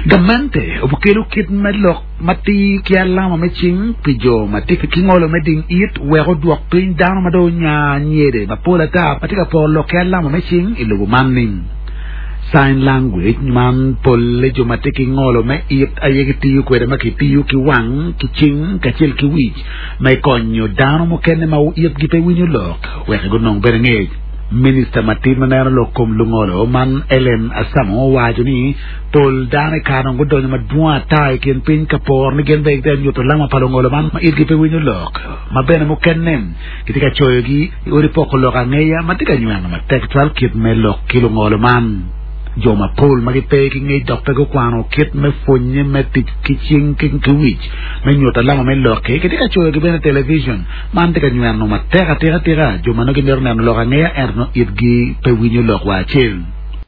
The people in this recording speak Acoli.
Gamente obikelo kit me lok matir ki alama me cing pi jo ma tye ki ngolo me ding it wek odwok piny dano ma dong onya nyede mapol ata ma tye ka poro lok ki alama me cing i lobo man ni. Sign language man polle jo ma tye ki ngolo me it aye gitiyo kwede ma kitiyo ki wang ki cing kacel ki wic me konyo dano mukene ma itgi pe winyo lok wek gunong bene ngec. Minista matin ma neno lok kom lungolo man Ellen Asamo owaco ni pol dano i kare dong gudonyo madwong ata i kin piny ka poro ni gin bene gitye ka nyuto alama pa lungolo man ma itgi pe winyo lok ma bene mukene gitye ka coyogi i odi poko lok angeya ma tye ka nyweno matek cwal kit me lok ki lungolo man. Jo mapol ma gipe ki ngec dok pe gukwano kit me pwonye me tic ki cing ki wic me nyuto alama me lok-ki gitye ka coyogi bene i television. Man tye ka nyweno matek atika tika jo ma nongo gimito neno lok angeya ento nongo itgi pe winyo lok wa acel.